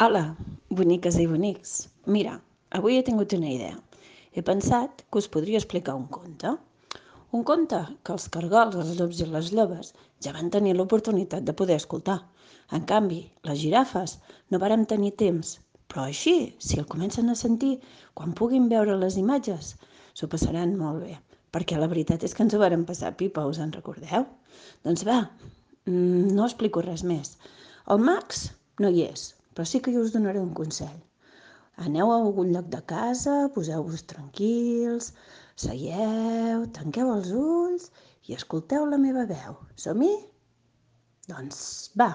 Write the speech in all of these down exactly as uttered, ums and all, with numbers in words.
Hola, boniques i bonics. Mira, avui he tingut una idea. He pensat que us podria explicar un conte. Un conte que els cargols, els llops i les llobes ja van tenir l'oportunitat de poder escoltar. En canvi, les girafes no varen tenir temps. Però així, si el comencen a sentir, quan puguin veure les imatges, s'ho passaran molt bé. Perquè la veritat és que ens ho varen passar pipa, us en recordeu? Doncs va, no explico res més. El Max no hi és, però sí que jo us donaré un consell. Aneu a algun lloc de casa, poseu-vos tranquils, seieu, tanqueu els ulls i escolteu la meva veu. Som-hi? Doncs va,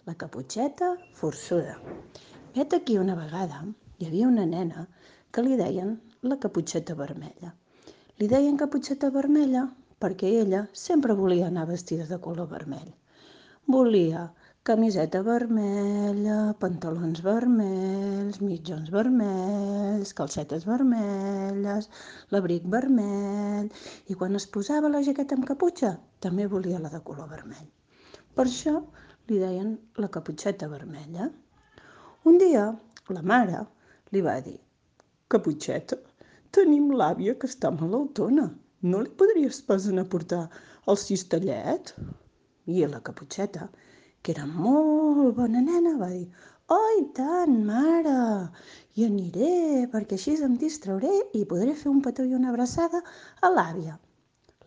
la Caputxeta forçuda. Vet aquí una vegada hi havia una nena que li deien la Caputxeta vermella. Li deien Caputxeta vermella perquè ella sempre volia anar vestida de color vermell. Volia camiseta vermella, pantalons vermells, mitjons vermells, calcetes vermelles, l'abric vermell, i quan es posava la jaqueta amb caputxa també volia la de color vermell. Per això li deien la Caputxeta vermella. Un dia la mare li va dir: Caputxeta, tenim l'àvia que està malaltona. No li podries pas anar a portar el cistellet? I la Caputxeta, que era molt bona nena, va dir: oh, i tant, mare! Hi aniré, perquè així em distrauré i podré fer un petó i una abraçada a l'àvia.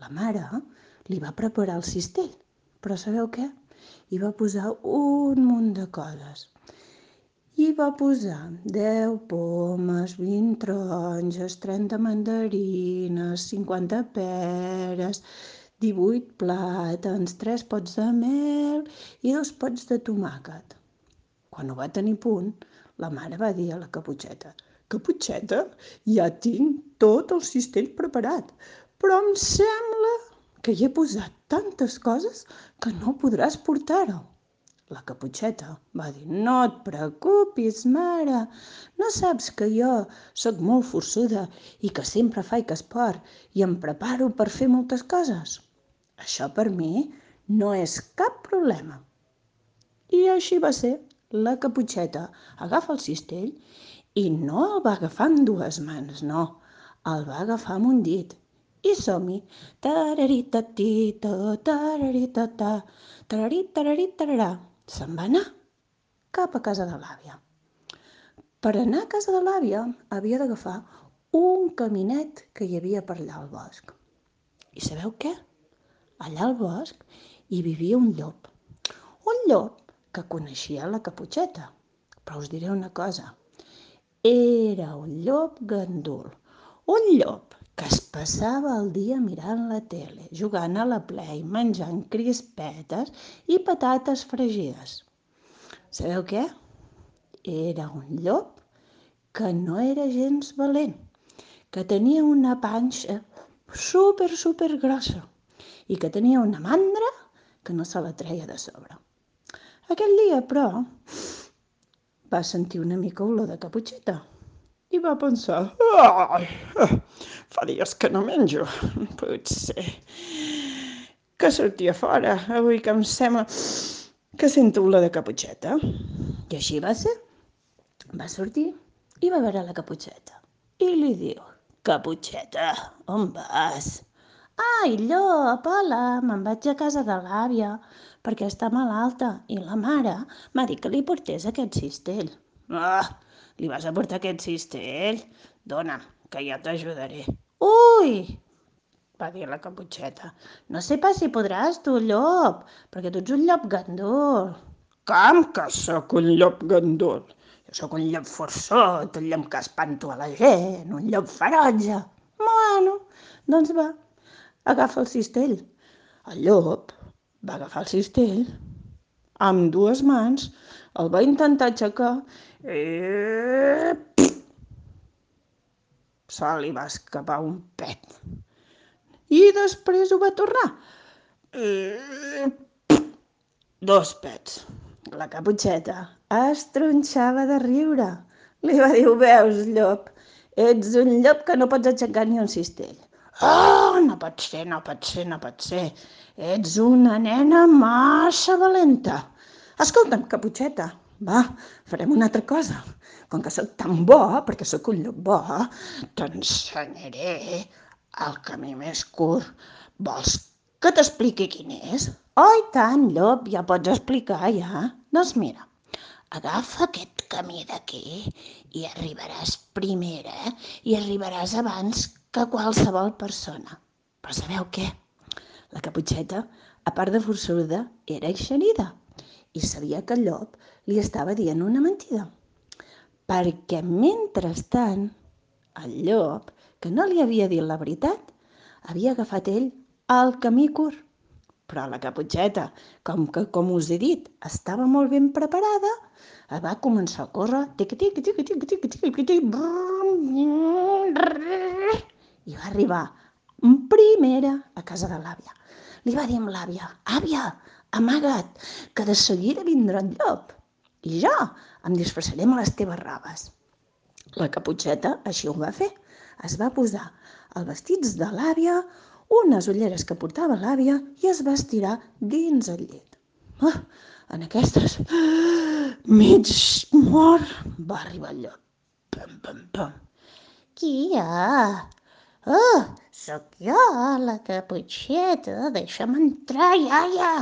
La mare li va preparar el cistell, però sabeu què? Hi va posar un munt de coses. Hi va posar deu pomes, vint taronges, trenta mandarines, cinquanta peres, divuit plàtans, tres pots de mel i dos pots de tomàquet. Quan ho va tenir a punt, la mare va dir a la Caputxeta: Caputxeta, ja tinc tot el cistell preparat, però em sembla que hi he posat tantes coses que no podràs portar-ho. La Caputxeta va dir: no et preocupis, mare, no saps que jo sóc molt forçuda i que sempre faig esport i em preparo per fer moltes coses. Això per mi no és cap problema. I així va ser. La Caputxeta agafa el cistell i no el va agafar amb dues mans, no. El va agafar amb un dit. I som-hi. Tararitata, tararitata, tararitaratara. Se'n va anar cap a casa de l'àvia. Per anar a casa de l'àvia havia d'agafar un caminet que hi havia per allà al bosc. I sabeu què? Allà al bosc hi vivia un llop. Un llop que coneixia la Caputxeta. Però us diré una cosa. Era un llop gandul. Un llop que es passava el dia mirant la tele, jugant a la Play, menjant crispetes i patates fregides. Sabeu què? Era un llop que no era gens valent, que tenia una panxa super, super grossa i que tenia una mandra que no se la treia de sobre. Aquell dia, però, va sentir una mica olor de Caputxeta i va pensar: ai, fa dies que no menjo, potser que sortia fora, avui que em sembla que sento olor de Caputxeta. I així va ser. Va sortir i va veure la Caputxeta i li diu: Caputxeta, on vas? Ai, llop, hola, me'n vaig a casa de l'àvia perquè està malalta i la mare m'ha dit que li portés aquest cistell. Ah, li vas a portar aquest cistell? Dona, que ja t'ajudaré. Ui, va dir la Caputxeta, no sé pas si podràs tu, llop, perquè tu ets un llop gandul. Com que sóc un llop gandul? Jo sóc un llop forçut, un llop que espanto a la gent, un llop ferotge. Bueno, doncs va, agafa el cistell. El llop va agafar el cistell amb dues mans, el va intentar aixecar i se li va escapar un pet. I després ho va tornar. I dos pets. La Caputxeta es tronxava de riure. Li va dir: ho veus, llop? Ets un llop que no pots aixecar ni un cistell. Oh, no pot ser, no pot ser, no pot ser. Ets una nena massa valenta. Escolta'm, Caputxeta, Va, farem una altra cosa. Com que sóc tan bo, perquè sóc un llop bo, t'ensenyaré el camí més curt. Vols que t'expliqui quin és? Oh, i tant, llop, ja pots explicar, ja. Doncs mira, agafa aquest camí d'aquí i arribaràs primera i arribaràs abans que qualsevol persona. Però sabeu què? La Caputxeta, a part de forçuda, era eixerida i sabia que el llop li estava dient una mentida. Perquè mentrestant, el llop, que no li havia dit la veritat, havia agafat ell el camí curt. Però la Caputxeta, com que, com us he dit, estava molt ben preparada, va començar a córrer, tic tic tic tic tic tic tic, i va arribar primera a casa de l'àvia. Li va dir amb l'àvia: àvia, amaga't, que de seguida vindrà el llop i jo em disfressaré amb les teves robes. La Caputxeta així ho va fer. Es va posar els vestits de l'àvia, unes ulleres que portava l'àvia i es va estirar dins el llit. Oh, en aquestes, mig mort, va arribar el llop. Pam, pam, pam. Qui hi ha? Oh, sóc jo, la Caputxeta, deixa'm entrar, iaia.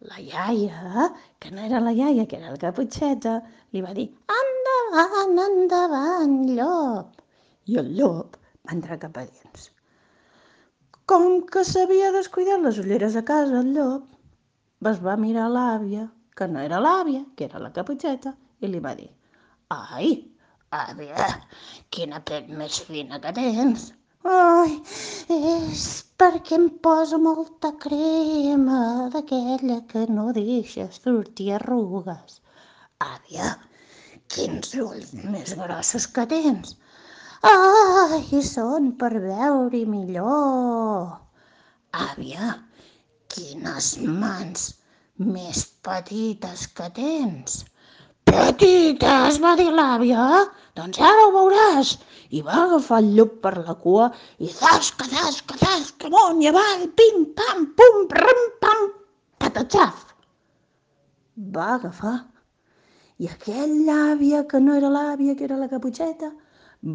La iaia, que no era la iaia, que era la Caputxeta, li va dir: endavant, endavant, llop. I el llop va entrar cap a dins. Com que s'havia descuidat les ulleres a casa, el llop es va mirar l'àvia, que no era l'àvia, que era la Caputxeta, i li va dir: ai, àvia, quina pell més fina que tens. Ai, és perquè em poso molta crema d'aquella que no deixa sortir arrugues. Àvia, quins ulls més grossos que tens. Ai, són per veure millor. Àvia, quines mans més petites que tens. Petites, va dir l'àvia. Doncs ara ho veuràs. I va agafar el llop per la cua i zasca, zasca, zasca, amunt i avall, pim, pam, pum, ram, pam, patatxaf. Va agafar. I aquella àvia, que no era l'àvia, que era la Caputxeta,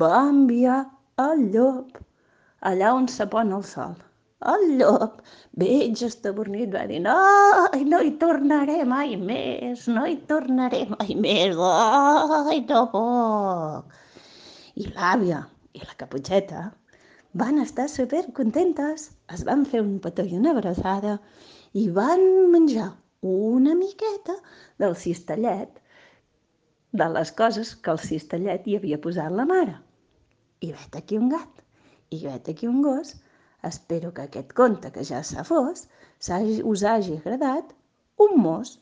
va enviar el llop allà on se pon el sol. El llop, veig estabornit, va dir: ai, no hi tornaré mai més, no hi tornaré mai més, ai, no puc. I l'àvia i la Caputxeta van estar supercontentes, es van fer un petó i una abraçada i van menjar una miqueta del cistellet, de les coses que el cistellet hi havia posat la mare. I vet aquí un gat, i vet aquí un gos. Espero que aquest conte, que ja s'ha fos, us hagi agradat un mos.